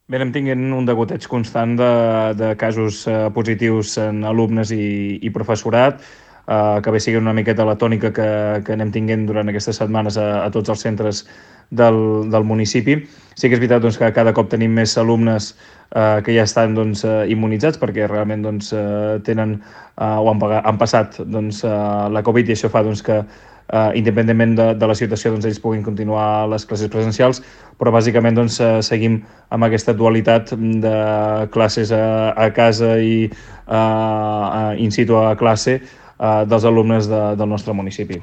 Bé, anem tinguent un degoteig constant de casos positius en alumnes i professorat, que bé sigui una miqueta la tònica que anem tinguent durant aquestes setmanes a tots els centres del municipi. Sí que és veritat doncs, que cada cop tenim més alumnes que ja estan doncs, immunitzats perquè realment doncs, tenen o han passat doncs, la Covid i això fa doncs, que independentment de la situació doncs, ells puguin continuar les classes presencials, però bàsicament doncs, seguim amb aquesta dualitat de classes a casa i in situ a classe dels alumnes del nostre municipi.